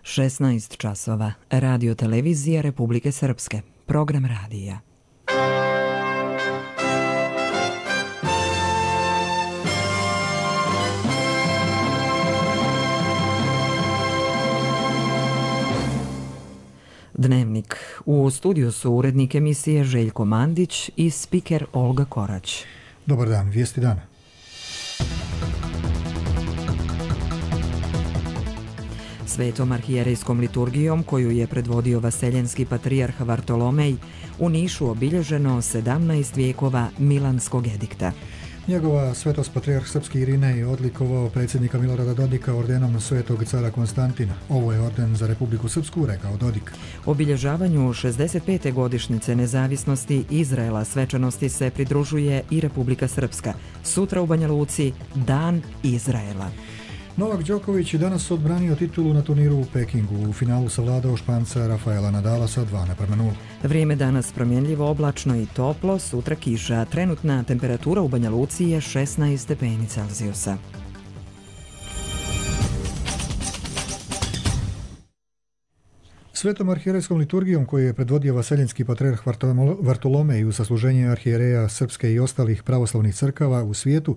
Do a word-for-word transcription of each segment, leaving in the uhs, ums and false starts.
šesnaest časova. Radio televizija Republike Srpske. Program radija. Dnevnik. U studiju su urednik emisije Željko Mandić i spiker Olga Korać. Dobar dan, vijesti dana. Svetom arhijerejskom liturgijom koju je predvodio vaseljenski patrijarh Vartolomej u Nišu obilježeno sedamnaest vijekova Milanskog edikta. Njegova svetost patrijarh srpski Irinej odlikovao predsjednika Milorada Dodika ordenom svetog cara Konstantina. Ovo je orden za Republiku Srpsku, rekao Dodik. Obilježavanju šezdeset pete godišnjice nezavisnosti Izraela svečanosti se pridružuje i Republika Srpska. Sutra u Banja Luci Dan Izraela. Novak Đoković je danas odbranio titulu na turniru u Pekingu. U finalu savladao Španca Rafaela Nadala sa dva naprema nula. Vrijeme danas promjenljivo, oblačno i toplo, sutra kiša. Trenutna temperatura u Banja Luci je šesnaest stepeni Celzijusa. Svetom arhijerejskom liturgijom koju je predvodio vaseljenski patrijarh Vartolomej u sasluženje arhijereja srpske i ostalih pravoslavnih crkava u svijetu,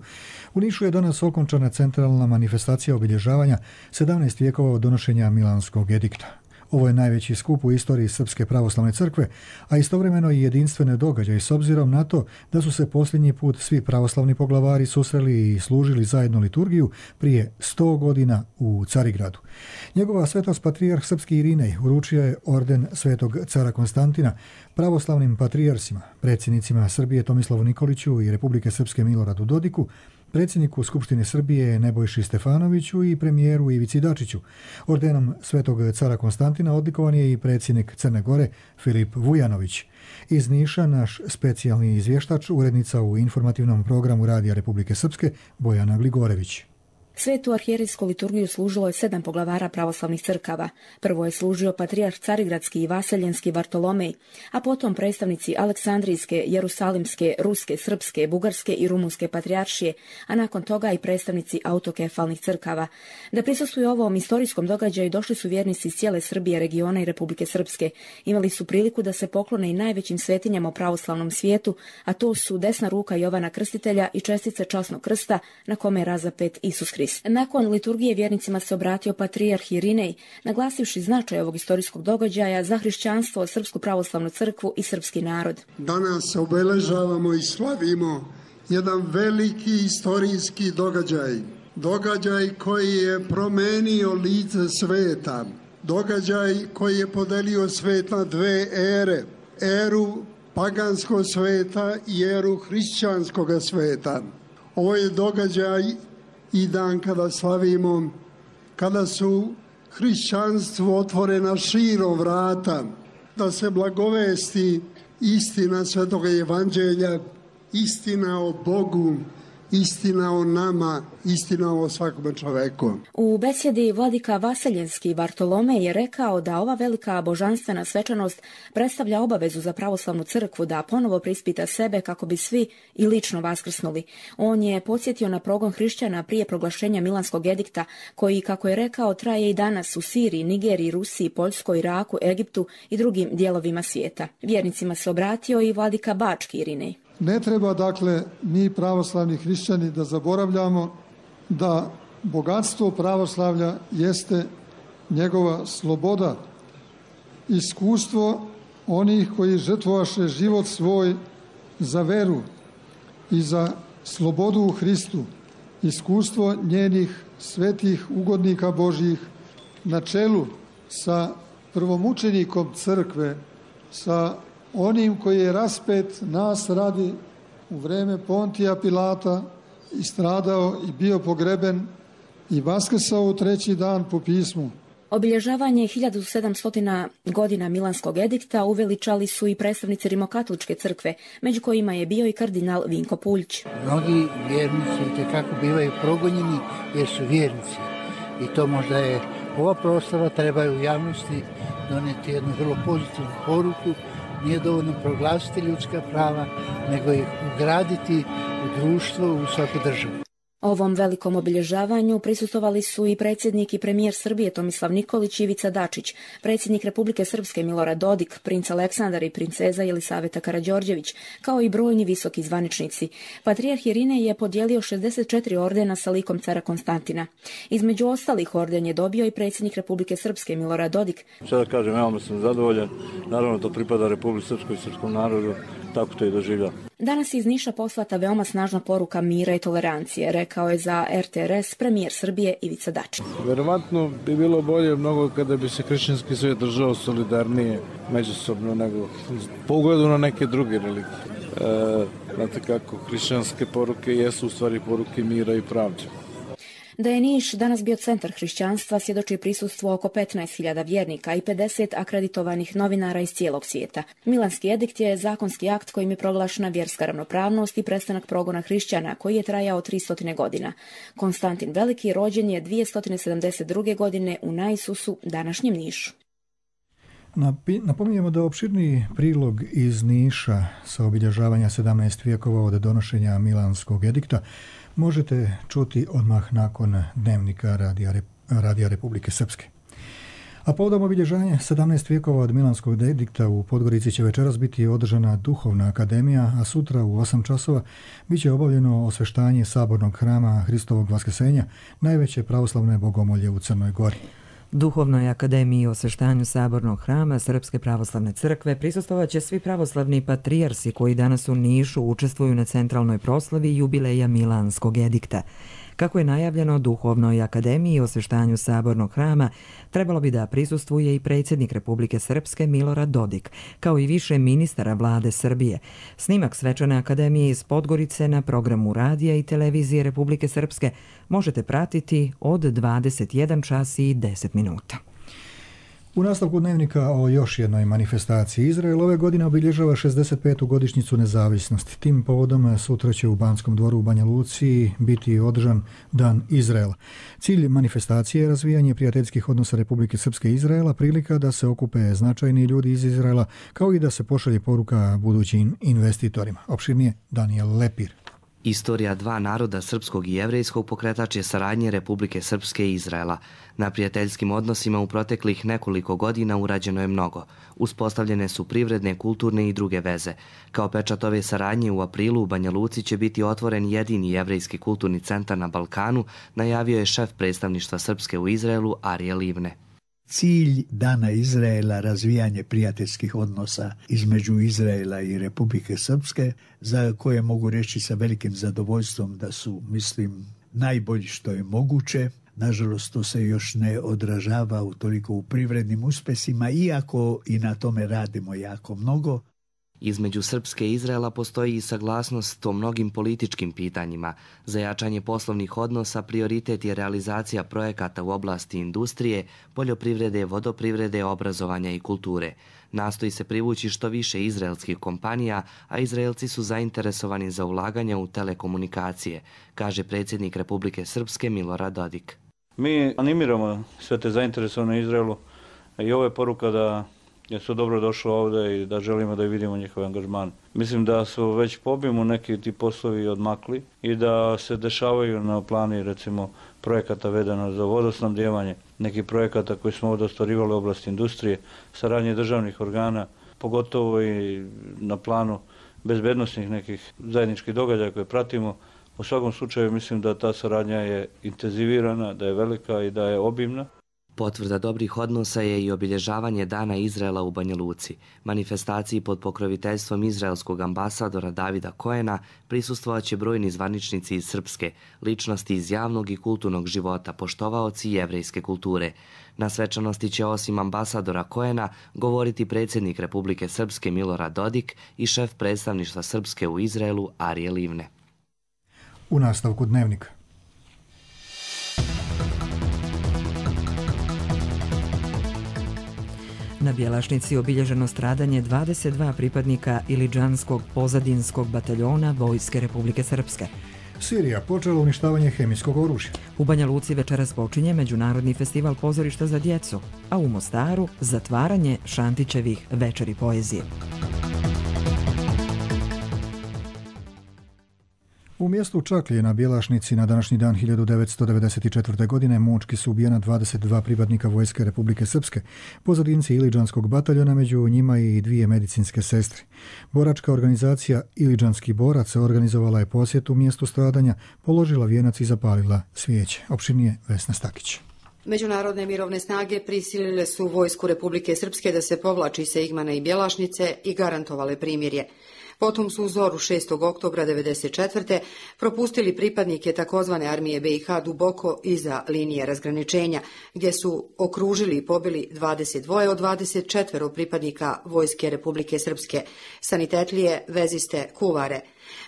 u Nišu je danas okončana centralna manifestacija obilježavanja sedamnaest vijekova od donošenja Milanskog edikta. Ovo je najveći skup u istoriji Srpske pravoslavne crkve, a istovremeno i jedinstvene događaje s obzirom na to da su se posljednji put svi pravoslavni poglavari susreli i služili zajedno liturgiju prije sto godina u Carigradu. Njegova svetost patrijarh srpski Irinej uručio je orden svetog cara Konstantina pravoslavnim patrijarsima, predsjednicima Srbije Tomislavu Nikoliću i Republike Srpske Miloradu Dodiku, predsjedniku Skupštine Srbije Nebojši Stefanoviću i premijeru Ivici Dačiću. Ordenom svetog cara Konstantina odlikovan je i predsjednik Crne Gore Filip Vujanović. Iz Niša naš specijalni izvještač, urednica u informativnom programu Radija Republike Srpske Bojana Gligorević. Svetu arhijerejsku liturgiju služilo je sedam poglavara pravoslavnih crkava. Prvo je služio patrijarh Carigradski i vaseljenski Vartolomej, a potom predstavnici Aleksandrijske, Jerusalimske, Ruske, Srpske, Bugarske i Rumunske patrijaršije, a nakon toga i predstavnici autokefalnih crkava. Da prisustvuju ovom istorijskom događaju došli su vjernici iz cijele Srbije, regiona i Republike Srpske. Imali su priliku da se poklone i najvećim svetinjama u pravoslavnom svijetu, a to su desna ruka Jovana Krstitelja i čestice časnog krsta na kome je razapet Isus Hrist. Nakon liturgije vjernicima se obratio patrijarh Irinej, naglasivši značaj ovog istorijskog događaja za hrišćanstvo, Srpsku pravoslavnu crkvu i srpski narod. Danas obeležavamo i slavimo jedan veliki istorijski događaj. Događaj koji je promenio lice sveta. Događaj koji je podelio svet na dve ere. Eru paganskog sveta i eru hrišćanskog sveta. Ovo je događaj i dan kada slavimo, kada su hrišćanstvo otvorena širom vrata, da se blagovesti istina Svetoga Evanđelja, istina o Bogu, istina o nama, istina o svakom čoveku. U besjedi vladika vaseljenski Vartolomej je rekao da ova velika božanstvena svečanost predstavlja obavezu za pravoslavnu crkvu da ponovo prispita sebe kako bi svi i lično vaskrsnuli. On je podsjetio na progon hrišćana prije proglašenja Milanskog edikta, koji, kako je rekao, traje i danas u Siriji, Nigeriji, Rusiji, Poljskoj, Iraku, Egiptu i drugim dijelovima svijeta. Vjernicima se obratio i vladika Bački Irinej. Ne treba, dakle, mi pravoslavni hrišćani da zaboravljamo da bogatstvo pravoslavlja jeste njegova sloboda, iskustvo onih koji žrtvovaše život svoj za veru i za slobodu u Hristu, iskustvo njenih svetih ugodnika Božjih na čelu sa prvomučenikom crkve, sa onim koji je raspet nas radi u vreme Pontija Pilata i stradao i bio pogreben i vaskrsao u treći dan po pismu. Obilježavanje hiljadu sedamsto godina Milanskog edikta uveličali su i predstavnici Rimokatoličke crkve, među kojima je bio i kardinal Vinko Puljić. Mnogi vjernici itekako bivaju progonjeni jer su vjernici i to možda je ova proslava treba u javnosti donijeti jednu vrlo pozitivnu poruku. Nije dovoljno proglasiti ljudska prava, nego ih ugraditi u društvo, u svaku državu. Ovom velikom obilježavanju prisustvovali su i predsjednik i premijer Srbije Tomislav Nikolić i Ivica Dačić, predsjednik Republike Srpske Milorad Dodik, princ Aleksandar i princeza Jelisaveta Karađorđević, kao i brojni visoki zvaničnici. Patrijarh Irinej je podijelio šezdeset četiri ordena sa likom cara Konstantina. Između ostalih orden je dobio i predsjednik Republike Srpske Milorad Dodik. Sada kažem, ja sam zadovoljan, naravno to pripada Republici Srpskoj i srpskom narodu, tako to i doživlja. Danas je iz Niša poslata veoma snažna poruka mira i tolerancije, rekao je za R T R S premijer Srbije Ivica Dačić. Verovatno bi bilo bolje mnogo kada bi se hrišćanski svijet držao solidarnije međusobno nego po ugledu na neke druge religije. E, znate kako, hrišćanske poruke jesu u stvari poruke mira i pravde. Da je Niš danas bio centar hrišćanstva svjedoči prisustvo oko petnaest hiljada vjernika i pedeset akreditovanih novinara iz cijelog svijeta. Milanski edikt je zakonski akt kojim je proglašena vjerska ravnopravnost i prestanak progona hrišćana koji je trajao tristo godina. Konstantin Veliki rođen je dvjesto sedamdeset druge godine u Naisusu, današnjem Nišu. Napominjemo da opširniji prilog iz Niša sa obilježavanja sedamnaest vijekova od donošenja Milanskog edikta možete čuti odmah nakon dnevnika Radija, Radija Republike Srpske. A povodom obilježavanja sedamnaest vijekova od Milanskog edikta u Podgorici će večeras biti održana Duhovna akademija, a sutra u osam časova bit će obavljeno osveštanje sabornog hrama Hristovog vaskrsenja, najveće pravoslavne bogomolje u Crnoj Gori. Duhovnoj akademiji o osveštanju sabornog hrama Srpske pravoslavne crkve prisustvovaće svi pravoslavni patrijarsi koji danas u Nišu učestvuju na centralnoj proslavi jubileja Milanskog edikta. Kako je najavljeno, Duhovnoj akademiji o osveštanju sabornog hrama trebalo bi da prisustvuje i predsjednik Republike Srpske Milorad Dodik, kao i više ministara vlade Srbije. Snimak svečane akademije iz Podgorice na programu Radija i televizije Republike Srpske možete pratiti od dvadeset jedan čas i deset minuta. U nastavku dnevnika o još jednoj manifestaciji. Izrael ove godine obilježava šezdeset petu godišnjicu nezavisnosti. Tim povodom sutra će u Banskom dvoru u Banja Luci biti održan Dan Izraela. Cilj manifestacije je razvijanje prijateljskih odnosa Republike Srpske i Izraela, prilika da se okupe značajni ljudi iz Izraela, kao i da se pošalje poruka budućim investitorima. Opširnije Daniel Lepir. Istorija dva naroda, srpskog i jevrejskog, pokretač je saradnje Republike Srpske i Izraela. Na prijateljskim odnosima u proteklih nekoliko godina urađeno je mnogo. Uspostavljene su privredne, kulturne i druge veze. Kao pečat ove saradnje u aprilu u Banja Luci će biti otvoren jedini jevrejski kulturni centar na Balkanu, najavio je šef predstavništva Srpske u Izraelu Arije Livne. Cilj Dana Izraela razvijanje prijateljskih odnosa između Izraela i Republike Srpske, za koje mogu reći sa velikim zadovoljstvom da su, mislim, najbolji što je moguće. Nažalost, to se još ne odražava u toliko u privrednim uspesima, iako i na tome radimo jako mnogo. Između Srpske i Izraela postoji i saglasnost o mnogim političkim pitanjima. Za jačanje poslovnih odnosa prioritet je realizacija projekata u oblasti industrije, poljoprivrede, vodoprivrede, obrazovanja i kulture. Nastoji se privući što više izraelskih kompanija, a Izraelci su zainteresovani za ulaganja u telekomunikacije, kaže predsjednik Republike Srpske Milorad Dodik. Mi animiramo sve te zainteresovane u Izraelu i ovo je poruka da je su dobro došlo ovdje i da želimo da vidimo njihov angažman. Mislim da su već po obimu neki ti poslovi odmakli i da se dešavaju na plani recimo projekata vedeno za vodosnabdijevanje, neki projekata koji smo ovdje ostvarivali u oblasti industrije, saradnje državnih organa, pogotovo i na planu bezbednosnih nekih zajedničkih događaja koje pratimo. U svakom slučaju mislim da ta saradnja je intenzivirana, da je velika i da je obimna. Potvrda dobrih odnosa je i obilježavanje Dana Izraela u Banja Luci. Manifestaciji pod pokroviteljstvom izraelskog ambasadora Davida Koena prisustvovaće brojni zvaničnici iz Srpske, ličnosti iz javnog i kulturnog života, poštovaoci jevrejske kulture. Na svečanosti će osim ambasadora Koena govoriti predsjednik Republike Srpske Milorad Dodik i šef predstavništva Srpske u Izraelu Arije Livne. U nastavku dnevnika. Na Bjelašnici obilježeno stradanje dvadeset dva pripadnika Ilidžanskog pozadinskog bataljona Vojske Republike Srpske. Sirija počela uništavanje hemijskog oružja. U Banja Luci večeras počinje Međunarodni festival pozorišta za djecu, a u Mostaru zatvaranje Šantićevih večeri poezije. U mjestu Čaklje na Bjelašnici na današnji dan hiljadu devetsto devedeset četvrte. godine mučki su ubijena dvadeset dva pripadnika Vojske Republike Srpske, pozadinci Iliđanskog bataljona, među njima i dvije medicinske sestre. Boračka organizacija Iliđanski borac organizovala je posjetu mjestu stradanja, položila vijenac i zapalila svijeće. Opširnije Vesna Stakić. Međunarodne mirovne snage prisilile su Vojsku Republike Srpske da se povlači sa Igmana i Bjelašnice i garantovale primirje. Potom su u zoru šestog oktobra devedeset četvrte. propustili pripadnike takozvane armije be i ha duboko iza linije razgraničenja, gdje su okružili i pobili dvadeset dva od dvadeset četiri pripadnika Vojske Republike Srpske, sanitetlije, veziste, kuvare.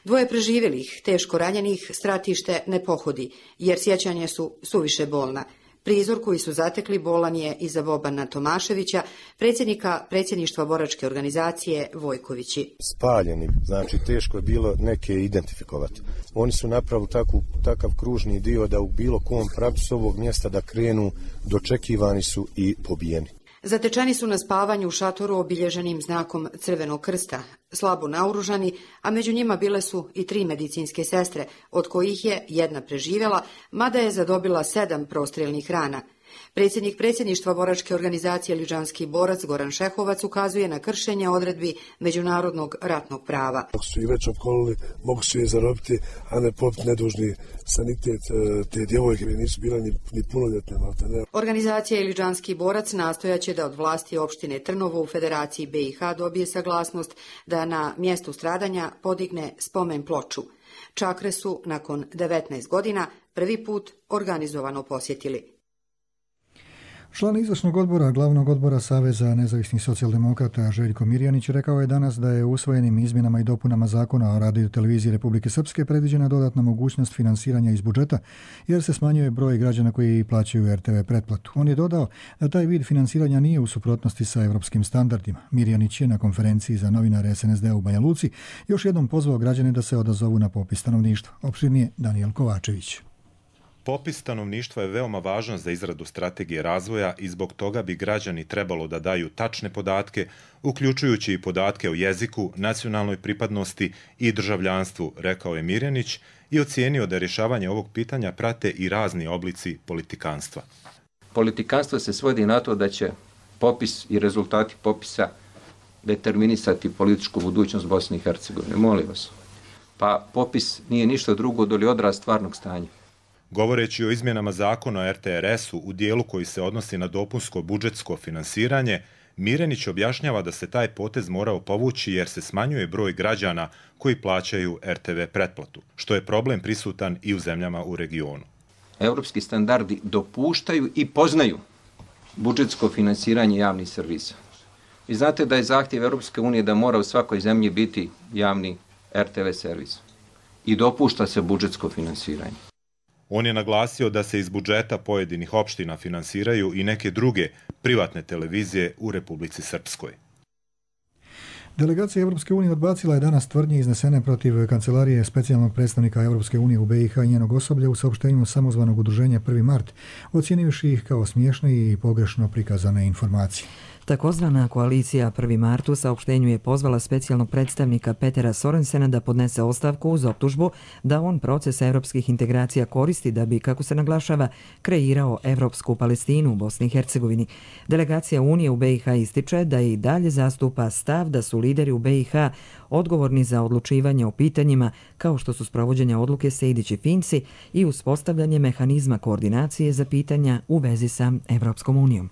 Dvoje preživjelih, teško ranjenih, stratište ne pohodi, jer sjećanje su suviše bolna. Prizor koji su zatekli bolan je i za Bobana Tomaševića, predsjednika predsjedništva boračke organizacije Vojkovići. Spaljeni, znači teško je bilo neke identifikovati. Oni su napravili taku, takav kružni dio da u bilo kom pravcu ovog mjesta da krenu, dočekivani su i pobijeni. Zatečeni su na spavanju u šatoru obilježenim znakom Crvenog krsta, slabo naoružani, a među njima bile su i tri medicinske sestre, od kojih je jedna preživjela, mada je zadobila sedam prostrijelnih rana. Predsjednik predsjedništva boračke organizacije Iliđanski borac Goran Šehovac ukazuje na kršenje odredbi međunarodnog ratnog prava. Ako su i već opkolili, mogu su je zarobiti, a ne popiti nedužni sanitet te djevojke, nisu bila ni, ni punoljetne. Ne. Organizacija Iliđanski borac nastojaće da od vlasti opštine Trnovo u Federaciji be i ha dobije saglasnost da na mjestu stradanja podigne spomen ploču. Čakre su nakon devetnaest godina prvi put organizovano posjetili. Član izvršnog odbora glavnog odbora Saveza nezavisnih socijaldemokrata Željko Mirjanić rekao je danas da je usvojenim izmjenama i dopunama zakona o radioteleviziji Republike Srpske predviđena dodatna mogućnost finansiranja iz budžeta, jer se smanjuje broj građana koji plaćaju er te ve pretplatu. On je dodao da taj vid finansiranja nije u suprotnosti sa evropskim standardima. Mirjanić je na konferenciji za novinare es en es de u Banja Luci još jednom pozvao građane da se odazovu na popis stanovništva. Opširnije Danijel Kovačević. Popis stanovništva je veoma važan za izradu strategije razvoja i zbog toga bi građani trebalo da daju tačne podatke, uključujući i podatke o jeziku, nacionalnoj pripadnosti i državljanstvu, rekao je Mirjanić i ocijenio da rješavanje ovog pitanja prate i razni oblici politikanstva. Politikanstvo se svodi na to da će popis i rezultati popisa determinisati političku budućnost Bosne i Hercegovine. Molim vas. Pa popis nije ništa drugo doli odraz stvarnog stanja. Govoreći o izmjenama zakona o er te er esu u dijelu koji se odnosi na dopunsko budžetsko finansiranje, Mirjanić objašnjava da se taj potez morao povući jer se smanjuje broj građana koji plaćaju er te ve pretplatu, što je problem prisutan i u zemljama u regionu. Evropski standardi dopuštaju i poznaju budžetsko finansiranje javnih servisa. Vi znate da je zahtjev Europske unije da mora u svakoj zemlji biti javni er te ve servis i dopušta se budžetsko finansiranje. On je naglasio da se iz budžeta pojedinih opština finansiraju i neke druge privatne televizije u Republici Srpskoj. Delegacija Evropske unije odbacila je danas tvrdnje iznesene protiv kancelarije specijalnog predstavnika Evropske unije u be i ha i njenog osoblja u saopštenju samozvanog udruženja prvi mart, ocjenivši ih kao smiješne i pogrešno prikazane informacije. Takozvana koalicija prvi mart u saopštenju je pozvala specijalnog predstavnika Petera Sorensena da podnese ostavku uz optužbu da on proces evropskih integracija koristi da bi, kako se naglašava, kreirao evropsku Palestinu u Bosni i Hercegovini. Delegacija Unije u be i ha ističe da i dalje zastupa stav da su lideri u be i ha odgovorni za odlučivanje o pitanjima kao što su sprovođenje odluke Sejdić i Finci i uspostavljanje mehanizma koordinacije za pitanja u vezi sa Evropskom unijom.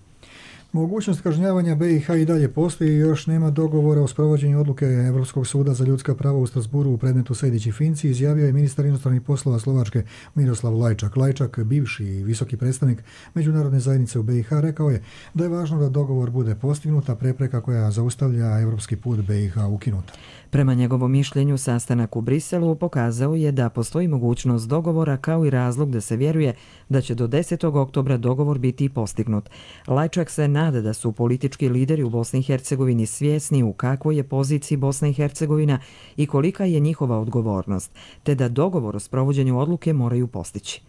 Mogućnost kažnjavanja be i ha i dalje postoji i još nema dogovora o sprovođenju odluke Evropskog suda za ljudska prava u Strasburu u predmetu Sejdić i Finci, izjavio je ministar inostranih poslova Slovačke Miroslav Lajčak. Lajčak, bivši i visoki predstavnik međunarodne zajednice u be i ha, rekao je da je važno da dogovor bude postignut, a prepreka koja zaustavlja evropski put be i ha ukinuta. Prema njegovom mišljenju, sastanak u Briselu pokazao je da postoji mogućnost dogovora kao i razlog da se vjeruje da će do desetog oktobra dogovor biti postignut. Lajčak se nada da su politički lideri u Bosni i Hercegovini svjesni u kakvoj je poziciji Bosna i Hercegovina i kolika je njihova odgovornost, te da dogovor o sprovođenju odluke moraju postići.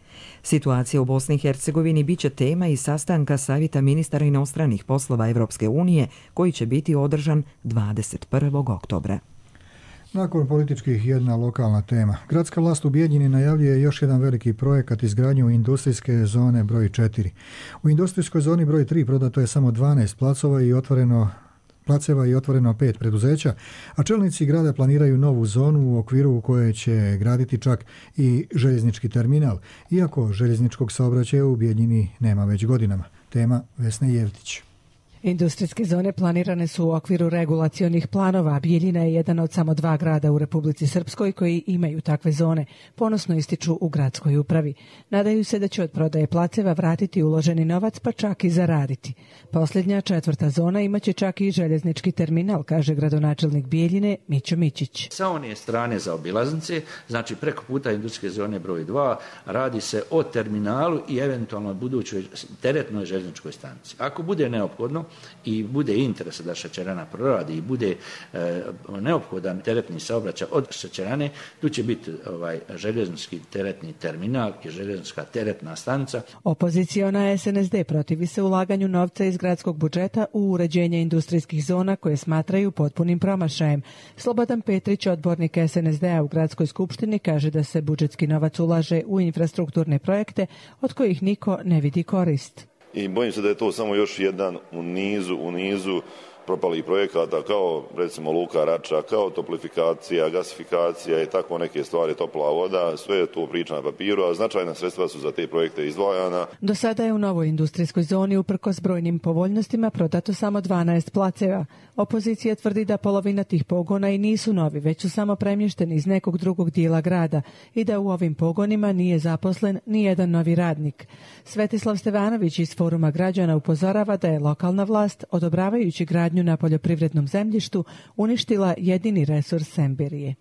Situacija u Bosni i Hercegovini biće tema i sastanka Savjeta ministara inostranih poslova Evropske unije koji će biti održan dvadeset prvog oktobra. Nakon političkih jedna lokalna tema. Gradska vlast u Bijeljini najavljuje još jedan veliki projekat izgradnju industrijske zone broj četiri. U industrijskoj zoni broj tri prodato je samo dvanaest placova i otvoreno placeva i otvoreno pet preduzeća, a čelnici grada planiraju novu zonu u okviru u kojoj će graditi čak i željeznički terminal, iako željezničkog saobraćaja u Bijeljini nema već godinama. Tema Vesne Jevtić. Industrijske zone planirane su u okviru regulacionih planova. Bijeljina je jedan od samo dva grada u Republici Srpskoj koji imaju takve zone, ponosno ističu u gradskoj upravi. Nadaju se da će od prodaje placeva vratiti uloženi novac, pa čak i zaraditi. Posljednja, četvrta zona imaće čak i željeznički terminal, kaže gradonačelnik Bijeljine Mićo Mićić. Sa one strane za obilaznice, znači preko puta industrijske zone broj dva, radi se o terminalu i eventualno budućoj teretnoj željezničkoj stanici. Ako bude neophodno i bude interesa da šećerana proradi i bude e, neophodan teretni saobraćaj od šećerane, tu će biti ovaj željeznički teretni terminal i željeznička teretna stanica. Opoziciona S N S D protivi se ulaganju novca iz gradskog budžeta u uređenje industrijskih zona koje smatraju potpunim promašajem. Slobodan Petrić, odbornik S N S D-a u gradskoj skupštini, kaže da se budžetski novac ulaže u infrastrukturne projekte od kojih niko ne vidi korist. I bojim se da je to samo još jedan u nizu, u nizu propalih projekata kao recimo Luka Rača, kao toplifikacija, gasifikacija i tako neke stvari, topla voda, sve je to priča na papiru, a značajna sredstva su za te projekte izdvajana. Do sada je u novoj industrijskoj zoni uprkos brojnim povoljnostima prodato samo dvanaest placeva. Opozicija tvrdi da polovina tih pogona i nisu novi, već su samo premješteni iz nekog drugog dijela grada i da u ovim pogonima nije zaposlen ni jedan novi radnik. Svetislav Stevanović iz Foruma građana upozorava da je lokalna vlast, odobravajući gradnju na poljoprivrednom zemljištu, uništila jedini resurs Semberije.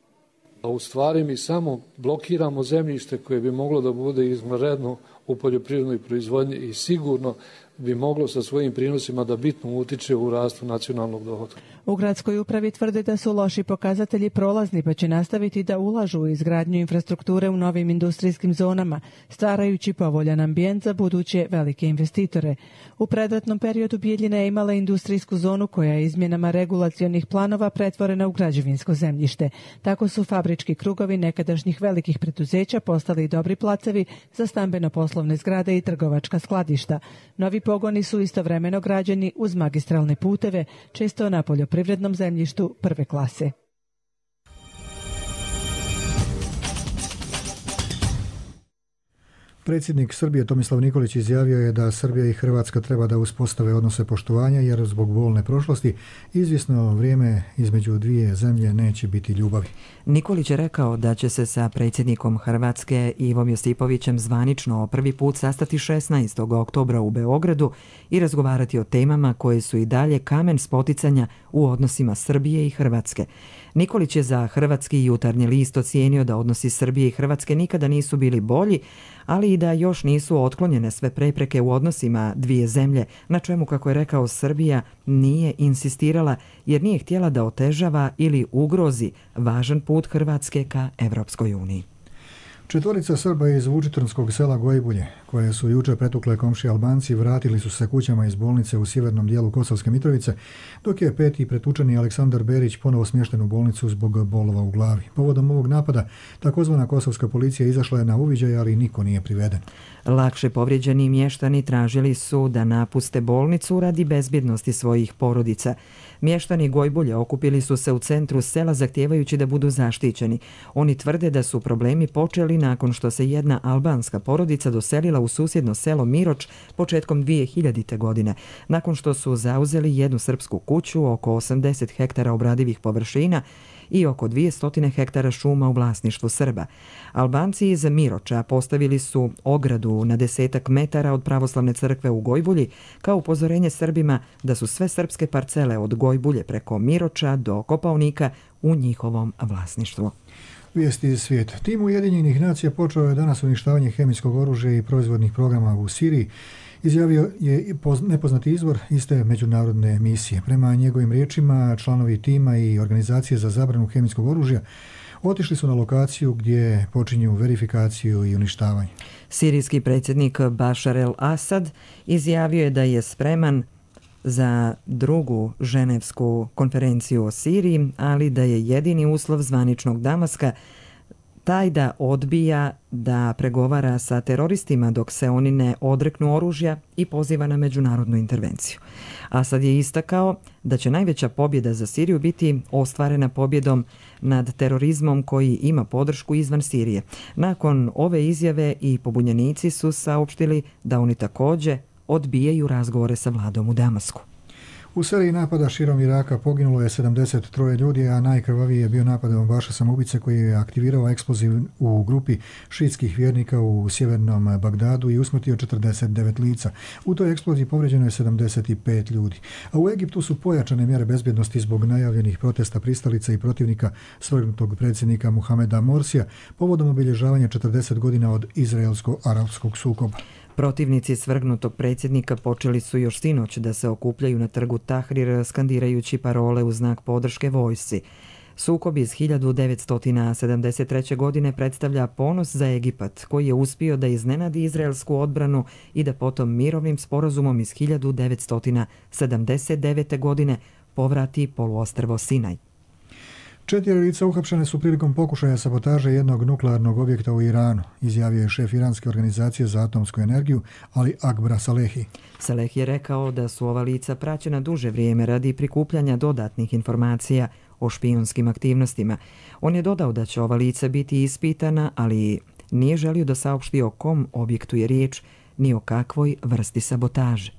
A u stvari mi samo blokiramo zemljište koje bi moglo da bude izvanredno u poljoprivrednoj proizvodnji i sigurno bi moglo sa svojim prinosima da bitno utiče u rastu nacionalnog dohotka. U gradskoj upravi tvrde da su loši pokazatelji prolazni, pa će nastaviti da ulažu u izgradnju infrastrukture u novim industrijskim zonama, stvarajući povoljan ambijent za buduće velike investitore. U predratnom periodu Bijeljina je imala industrijsku zonu koja je izmjenama regulacionih planova pretvorena u građevinsko zemljište. Tako su fabrički krugovi nekadašnjih velikih preduzeća postali dobri placevi za stambeno-poslovne zgrade i trgovačka skladišta. Novi pogoni su istovremeno građeni uz magistralne puteve, često na poljoprivrednom zemljištu prve klase. Predsjednik Srbije Tomislav Nikolić izjavio je da Srbija i Hrvatska treba da uspostave odnose poštovanja jer zbog bolne prošlosti izvjesno vrijeme između dvije zemlje neće biti ljubavi. Nikolić je rekao da će se sa predsjednikom Hrvatske Ivom Josipovićem zvanično prvi put sastati šesnaestog oktobra u Beogradu i razgovarati o temama koje su i dalje kamen spoticanja u odnosima Srbije i Hrvatske. Nikolić je za Hrvatski jutarnji list ocijenio da odnosi Srbije i Hrvatske nikada nisu bili bolji, ali i da još nisu otklonjene sve prepreke u odnosima dvije zemlje, na čemu, kako je rekao, Srbija nije insistirala jer nije htjela da otežava ili ugrozi važan put Hrvatske ka Evropskoj uniji. Četvorica Srba iz vučitrnskog sela Gojbulje, koje su juče pretukle komšije Albanci, vratili su se kućama iz bolnice u sjevernom dijelu Kosovske Mitrovice, dok je peti pretučeni Aleksandar Berić ponovo smješten u bolnicu zbog bolova u glavi. Povodom ovog napada, takozvana kosovska policija izašla je na uviđaj, ali niko nije priveden. Lakše povrijeđeni mještani tražili su da napuste bolnicu radi bezbjednosti svojih porodica. Mještani Gojbulje okupili su se u centru sela zahtijevajući da budu zaštićeni. Oni tvrde da su problemi počeli nakon što se jedna albanska porodica doselila u susjedno selo Miroč početkom dvije hiljadite. godine. Nakon što su zauzeli jednu srpsku kuću, oko osamdeset hektara obradivih površina i oko dvjesto hektara šuma u vlasništvu Srba. Albanci iz Miroča postavili su ogradu na desetak metara od pravoslavne crkve u Gojbulji kao upozorenje Srbima da su sve srpske parcele od Gojbulje preko Miroča do Kopaonika u njihovom vlasništvu. Vijesti iz svijeta. Tim Ujedinjenih nacija počeo je danas uništavanje hemijskog oružja i proizvodnih programa u Siriji. Izjavio je nepoznati izvor iste međunarodne misije. Prema njegovim riječima, članovi tima i organizacije za zabranu hemijskog oružja otišli su na lokaciju gdje počinju verifikaciju i uništavanje. Sirijski predsjednik Bašar el-Asad izjavio je da je spreman za drugu ženevsku konferenciju o Siriji, ali da je jedini uslov zvaničnog Damaska taj da odbija da pregovara sa teroristima dok se oni ne odreknu oružja i poziva na međunarodnu intervenciju. Asad je istakao da će najveća pobjeda za Siriju biti ostvarena pobjedom nad terorizmom koji ima podršku izvan Sirije. Nakon ove izjave i pobunjenici su saopštili da oni također odbijaju razgovore sa vladom u Damasku. U seriji napada širom Iraka poginulo je sedamdeset tri ljudi, a najkrvaviji je bio napad bombaša samoubice koji je aktivirao eksploziv u grupi šiitskih vjernika u sjevernom Bagdadu i usmrtio četrdeset devet lica. U toj eksploziji povrijeđeno je sedamdeset pet ljudi. A u Egiptu su pojačane mjere bezbjednosti zbog najavljenih protesta pristalica i protivnika svrgnutog predsjednika Muhameda Morsija povodom obilježavanja četrdeset godina od izraelsko-arapskog sukoba. Protivnici svrgnutog predsjednika počeli su još sinoć da se okupljaju na trgu Tahrir skandirajući parole u znak podrške vojsci. Sukob iz hiljadu devetsto sedamdeset treće. godine predstavlja ponos za Egipat, koji je uspio da iznenadi izraelsku odbranu i da potom mirovnim sporazumom iz hiljadu devetsto sedamdeset devete. godine povrati poluostrvo Sinaj. Četiri lica uhapšene su prilikom pokušaja sabotaže jednog nuklearnog objekta u Iranu, izjavio je šef Iranske organizacije za atomsku energiju Ali Akbar Salehi. Saleh je rekao da su ova lica praćena duže vrijeme radi prikupljanja dodatnih informacija o špijunskim aktivnostima. On je dodao da će ova lica biti ispitana, ali nije želio da saopšti o kom objektu je riječ ni o kakvoj vrsti sabotaže.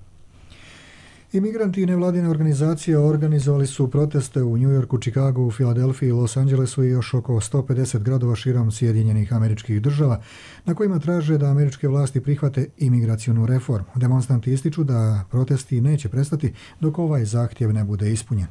Imigranti i nevladine organizacije organizovali su proteste u New Yorku, Chicagu, Filadelfiji, Los Angelesu i još oko sto pedeset gradova širom Sjedinjenih Američkih Država, na kojima traže da američke vlasti prihvate imigracionu reformu. Demonstranti ističu da protesti neće prestati dok ovaj zahtjev ne bude ispunjen.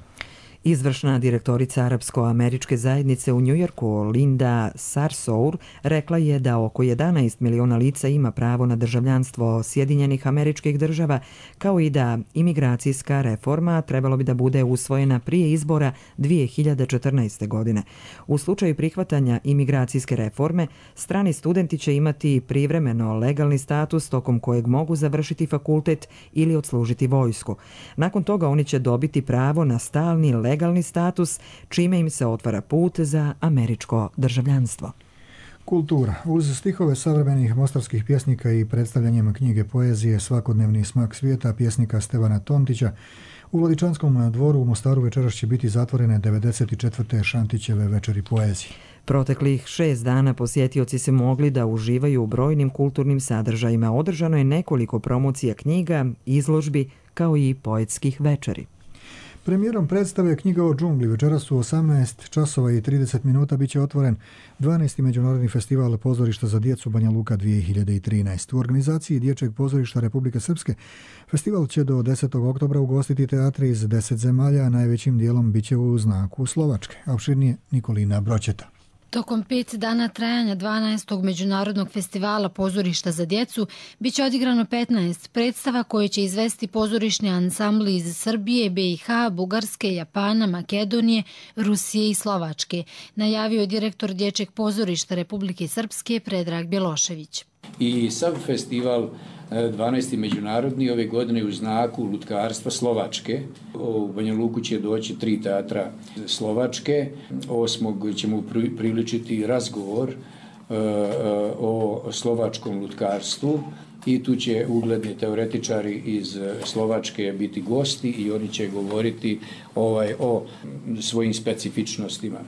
Izvršna direktorica Arapsko-američke zajednice u Njujorku, Linda Sarsour, rekla je da oko jedanaest miliona lica ima pravo na državljanstvo Sjedinjenih Američkih Država, kao i da imigracijska reforma trebalo bi da bude usvojena prije izbora dvije hiljade četrnaeste. godine. U slučaju prihvatanja imigracijske reforme, strani studenti će imati privremeno legalni status tokom kojeg mogu završiti fakultet ili odslužiti vojsku. Nakon toga oni će dobiti pravo na stalni legalni status, čime im se otvara put za američko državljanstvo. Kultura. Uz stihove savremenih mostarskih pjesnika i predstavljanjem knjige poezije Svakodnevni smak svijeta pjesnika Stevana Tontića, u Vladičanskom dvoru u Mostaru večeras će biti zatvorene devedeset četvrte Šantićeve večeri poezije. Proteklih šest dana posjetioci se mogli da uživaju u brojnim kulturnim sadržajima. Održano je nekoliko promocija knjiga, izložbi, kao i poetskih večeri. Premijerom predstave Knjiga o džungli večeras u osamnaest časova i trideset minuta biće otvoren dvanaesti Međunarodni festival pozorišta za djecu Banja Luka dvije hiljade trinaeste. U organizaciji Dječjeg pozorišta Republike Srpske festival će do desetog oktobra ugostiti teatri iz deset zemalja, a najvećim dijelom biće u znaku Slovačke. A opširnije Nikolina Broćeta. Tokom pet dana trajanja dvanaestog Međunarodnog festivala pozorišta za djecu biće odigrano petnaest predstava koje će izvesti pozorišni ansambli iz Srbije, B i H, Bugarske, Japana, Makedonije, Rusije i Slovačke, najavio direktor Dječjeg pozorišta Republike Srpske Predrag Bjelošević. I sav festival dvanaesti međunarodni ove godine u znaku lutkarstva Slovačke. U Banja Luku će doći tri teatra Slovačke. Osmog ćemo priličiti razgovor o slovačkom lutkarstvu i tu će ugledni teoretičari iz Slovačke biti gosti i oni će govoriti ovaj, o svojim specifičnostima.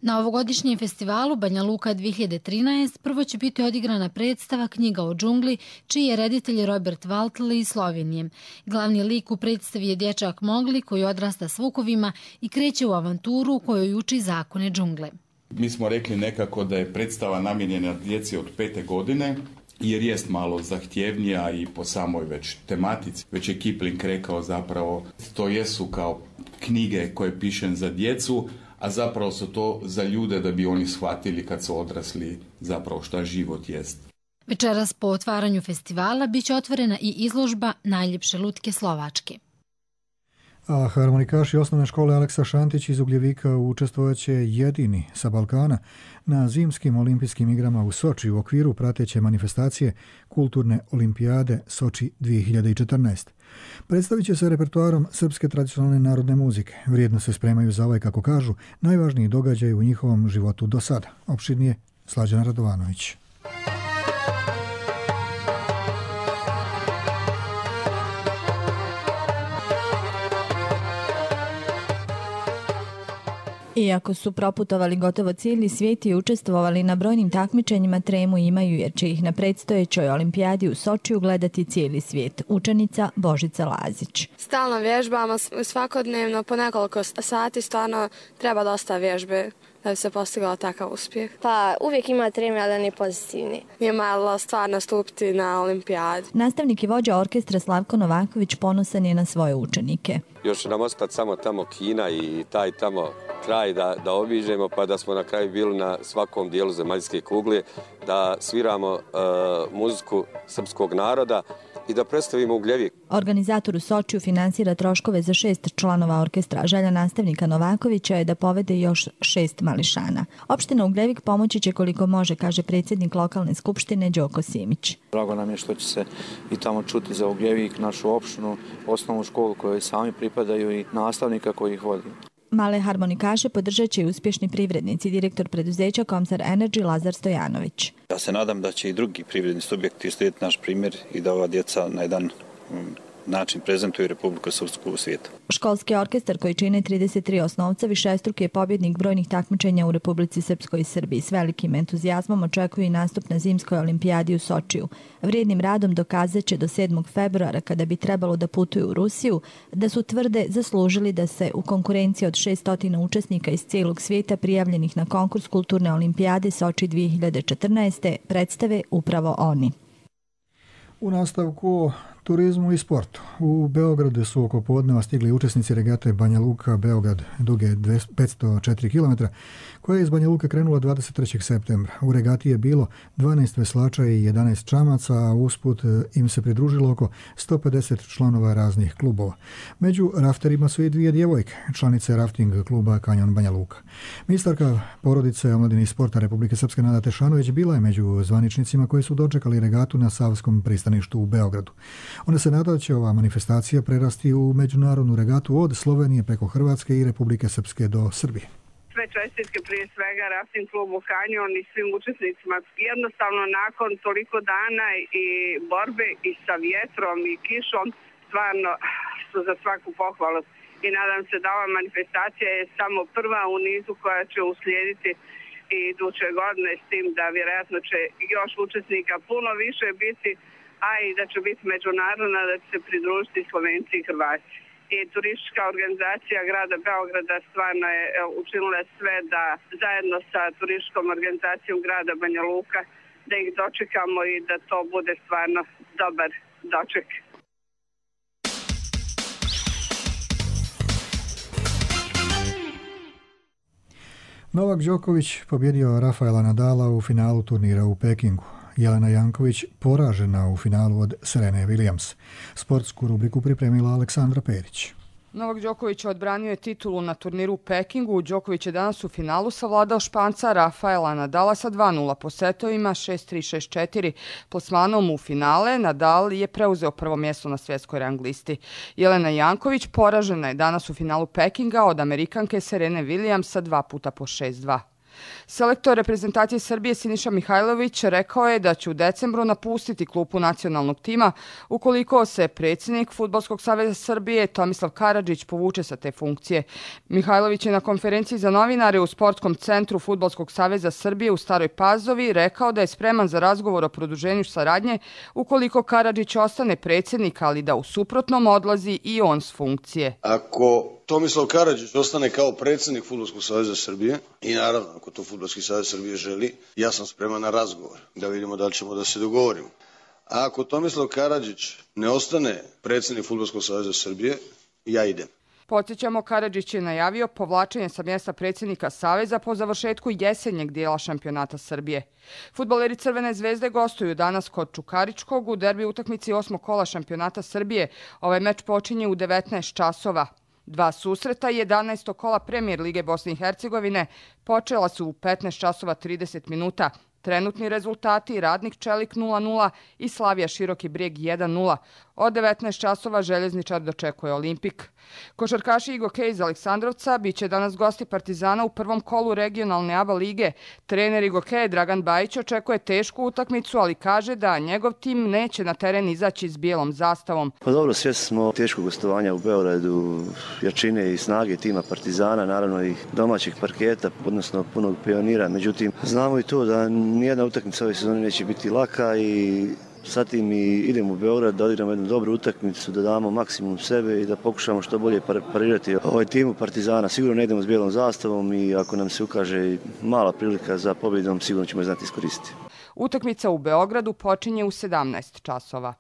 Na ovogodišnjem festivalu Banja Luka dvije hiljade trinaeste prvo će biti odigrana predstava Knjiga o džungli, čiji je reditelj Robert Valtl iz Slovenije. Glavni lik u predstavi je dječak Mogli koji odrasta s vukovima i kreće u avanturu u kojoj uči zakone džungle. Mi smo rekli nekako da je predstava namijenjena djeci od pete godine, jer jest malo zahtjevnija i po samoj već tematici. Već je Kipling rekao zapravo to jesu kao knjige koje pišem za djecu, a zapravo su to za ljude da bi oni shvatili kad su odrasli zapravo šta život jest. Večeras po otvaranju festivala biće otvorena i izložba Najljepše lutke Slovačke. A harmonikaši osnovne škole Aleksa Šantić iz Ugljevika učestvovaće jedini sa Balkana na zimskim olimpijskim igrama u Soči u okviru prateće manifestacije Kulturne olimpijade Soči dvije hiljade četrnaest. Predstavit će se repertoarom srpske tradicionalne narodne muzike. Vrijedno se spremaju za ovaj, kako kažu, najvažniji događaj u njihovom životu do sada. Opširnije Slađana Radovanović. Iako su proputovali gotovo cijeli svijet i učestvovali na brojnim takmičenjima, tremu imaju jer će ih na predstojećoj olimpijadi u Sočiju gledati cijeli svijet. Učenica Božica Lazić. Stalno vježbamo svakodnevno, po nekoliko sati, stvarno treba dosta vježbe da bi se postigao takav uspjeh. Pa uvijek ima treme, ali ne pozitivni. Nije malo stvarno stupiti na olimpijadi. Nastavnik i vođa orkestra Slavko Novaković ponosan je na svoje učenike. Još nam ostati samo tamo Kina i taj tamo kraj da, da obiđemo, pa da smo na kraju bili na svakom dijelu zemaljske kugle, da sviramo uh, muziku srpskog naroda i da predstavimo Ugljevik. Organizator u Sočiju finansira troškove za šest članova orkestra. Želja nastavnika Novakovića je da povede još šest mališana. Opština Ugljevik pomoći će koliko može, kaže predsjednik lokalne skupštine Đoko Simić. Drago nam je što će se i tamo čuti za Ugljevik, našu opštinu, osnovnu školu kojoj sami pripadaju i nastavnika koji ih vodi. Male harmonikaše podržat će i uspješni privrednici, direktor preduzeća Komsar Energy Lazar Stojanović. Ja se nadam da će i drugi privredni subjekti slijediti naš primjer i da ova djeca na jedan način prezentuju Republiku Srpsku u svijetu. Školski orkestar koji čine trideset tri osnovca višestruki je pobjednik brojnih takmičenja u Republici Srpskoj i Srbiji. S velikim entuzijazmom očekuju i nastup na zimskoj olimpijadi u Sočiju. Vrijednim radom dokazat će do sedmog februara, kada bi trebalo da putuju u Rusiju, da su tvrde zaslužili da se u konkurenciji od šesnaest učesnika iz cijelog svijeta prijavljenih na konkurs Kulturne olimpijade Soči dvije hiljade četrnaest. predstave upravo oni. U nastavku o turizmu i sportu. U Beogradu su oko podneva stigli učesnici regate Banja Luka Beograd duge petsto četiri kilometra, koja je iz Banja Luka krenula dvadeset trećeg septembra. U regati je bilo dvanaest veslača i jedanaest čamaca, a usput im se pridružilo oko sto pedeset članova raznih klubova. Među rafterima su i dvije djevojke, članice rafting kluba Kanjon Banja Luka. Ministarka porodice, omladine i sporta Republike Srpske Nada Tešanović bila je među zvaničnicima koji su dočekali regatu na Savskom pristaništu u Beogradu. Ona se nada da će ova manifestacija prerasti u međunarodnu regatu od Slovenije preko Hrvatske i Republike Srpske do Srbije. Sve čestitke prije svega rafting klubu Kanjon i svim učesnicima. Jednostavno nakon toliko dana i borbe i sa vjetrom i kišom stvarno su za svaku pohvalu. I nadam se da ova manifestacija je samo prva u nizu koja će uslijediti i iduće godine, s tim da vjerojatno će još učesnika puno više biti, a i da će biti međunarodna, da će se pridružiti Slovenci i Hrvati. I turistička organizacija grada Beograda stvarno je učinila sve da zajedno sa turističkom organizacijom grada Banja Luka da ih dočekamo i da to bude stvarno dobar doček. Novak Đoković pobjedio Rafaela Nadala u finalu turnira u Pekingu. Jelena Janković poražena u finalu od Serene Williams. Sportsku rubriku pripremila Aleksandra Perić. Novak Đoković odbranio je titulu na turniru u Pekingu. Đoković je danas u finalu savladao Španca Rafaela Nadala sa dva nula po setovima, šest tri šest četiri. Plasmanom u finale Nadal je preuzeo prvo mjesto na svjetskoj rang listi. Jelena Janković poražena je danas u finalu Pekinga od Amerikanke Serene Williams sa dva puta po šest dva. Selektor reprezentacije Srbije Siniša Mihajlović rekao je da će u decembru napustiti klupu nacionalnog tima ukoliko se predsjednik Fudbalskog saveza Srbije Tomislav Karadžić povuče sa te funkcije. Mihajlović je na konferenciji za novinare u Sportskom centru Fudbalskog saveza Srbije u Staroj Pazovi rekao da je spreman za razgovor o produženju saradnje ukoliko Karadžić ostane predsjednik, ali da u suprotnom odlazi i on s funkcije. Ako Tomislav Karadžić ostane kao predsjednik Fudbalskog saveza Srbije i naravno ako to Fudbalski savez Srbije želi, ja sam spreman na razgovor da vidimo da li ćemo da se dogovorimo. A ako Tomislav Karadžić ne ostane predsjednik Fudbalskog saveza Srbije, ja idem. Podsjećamo, Karadžić je najavio povlačenje sa mjesta predsjednika Saveza po završetku jesenjeg dijela šampionata Srbije. Fudbaleri Crvene zvezde gostuju danas kod Čukaričkog u derbi utakmici osmog kola šampionata Srbije. Ovaj meč počinje u devetnaest časova. Dva susreta jedanaestog kola Premijer Lige Bosne i Hercegovine počela su u petnaest časova trideset minuta. Trenutni rezultati: Radnik Čelik nula nula i Slavija Široki Brijeg jedan nula. Od devetnaest časova Željezničar dočekuje Olimpik. Košarkaši Igokej iz Aleksandrovca biće danas gosti Partizana u prvom kolu regionalne A B A lige. Trener Igokeja Dragan Bajić očekuje tešku utakmicu, ali kaže da njegov tim neće na teren izaći s bijelom zastavom. Pa dobro, svjesni smo teškog gostovanja u Beogradu, jačine i snage tima Partizana, naravno i domaćih parketa, odnosno punog pionira. Međutim, znamo i to da nijedna utakmica ove sezone neće biti laka i sa tim i idemo u Beograd da odigramo jednu dobru utakmicu, da damo maksimum sebe i da pokušamo što bolje parirati ovaj timu Partizana. Sigurno ne idemo s bijelom zastavom i ako nam se ukaže mala prilika za pobjedom, sigurno ćemo je znati iskoristiti. Utakmica u Beogradu počinje u sedamnaest časova.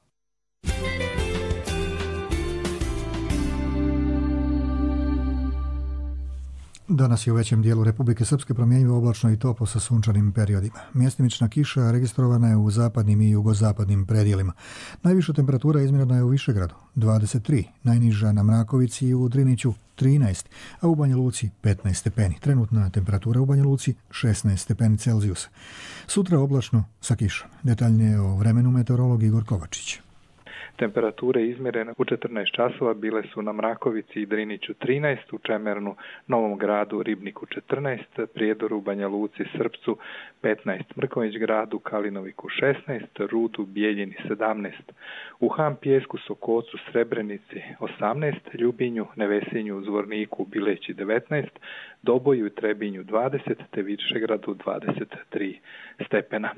Danas je u većem dijelu Republike Srpske promjenjivo oblačno i toplo sa sunčanim periodima. Mjestimična kiša registrovana je u zapadnim i jugozapadnim predjelima. Najviša temperatura izmjerena je u Višegradu dvadeset tri, najniža na Mrakovici i u Driniću trinaest, a u Banja Luci petnaest stepeni. Trenutna temperatura u Banja Luci šesnaest stepeni Celzijusa. Sutra oblačno sa kišom. Detaljnije o vremenu meteorolog Igor Kovačić. Temperature izmjerene u četrnaest časova bile su na Mrakovici i Driniću trinaest, u Čemernu, Novom Gradu, Ribniku četrnaest, Prijedoru, Banja Luci, Srpcu petnaest, Mrkonjić Gradu, Kalinoviku šesnaest, Rudu, Bijeljini sedamnaest, u Han Pijesku, Sokocu, Srebrenici osamnaest, Ljubinju, Nevesinju, Zvorniku, Bileći devetnaest, Doboju i Trebinju dvadeset, te Višegradu dvadeset tri stepena.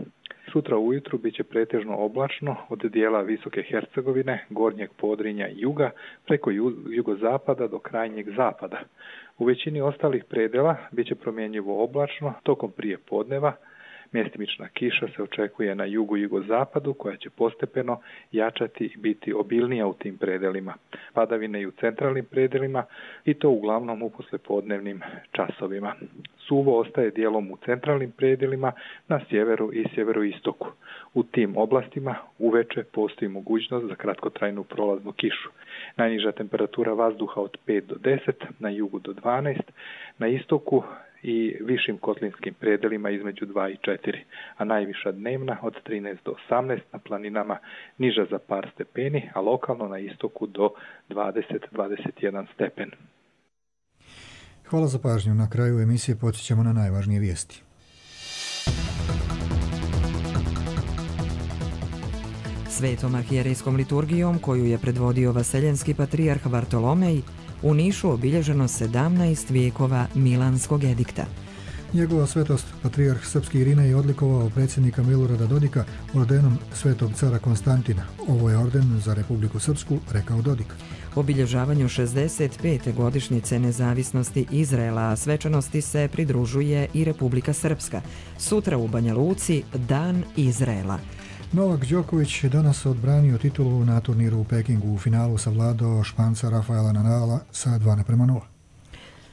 Sutra ujutru bit će pretežno oblačno od dijela Visoke Hercegovine, Gornjeg Podrinja i juga preko jugozapada do krajnjeg zapada. U većini ostalih predjela bit će promjenjivo oblačno tokom prije podneva. Mjestimična kiša se očekuje na jugu i jugozapadu koja će postepeno jačati i biti obilnija u tim predjelima. Padavine i u centralnim predjelima i to uglavnom u poslijepodnevnim časovima. Suvo ostaje dijelom u centralnim predjelima na sjeveru i sjeveroistoku. U tim oblastima uveče postoji mogućnost za kratkotrajnu prolaznu kišu. Najniža temperatura vazduha od pet do deset, na jugu do dvanaest, na istoku i višim kotlinskim predjelima između dva i četiri, a najviša dnevna od trinaest do osamnaest, na planinama niža za par stepeni, a lokalno na istoku do dvadeset do dvadeset jedan stepen. Hvala za pažnju. Na kraju emisije podsjećamo na najvažnije vijesti. Svetom arhijerejskom liturgijom, koju je predvodio vaseljenski patrijarh Vartolomej, u Nišu obilježeno sedamnaest vijekova Milanskog edikta. Njegova svetost, patrijarh srpski Irina, je odlikovao predsjednika Milorada Dodika ordenom svetog cara Konstantina. Ovo je orden za Republiku Srpsku, rekao Dodik. Obilježavanju šezdeset pete godišnjice nezavisnosti Izraela, a svečanosti se pridružuje i Republika Srpska. Sutra u Banja Luci Dan Izraela. Novak Đoković je danas odbranio titulu na turniru u Pekingu. U finalu savladao Španca Rafaela Nadala sa dva naprema nula.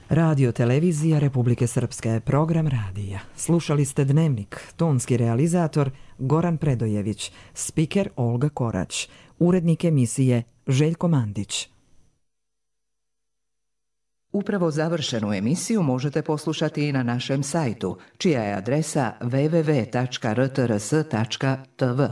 Radio televizija Republike Srpske, program radija. Slušali ste Dnevnik, tonski realizator Goran Predojević, spiker Olga Korać, urednik emisije Željko Mandić. Upravo završenu emisiju možete poslušati i na našem sajtu, čija je adresa w w w tačka r t r s tačka t v.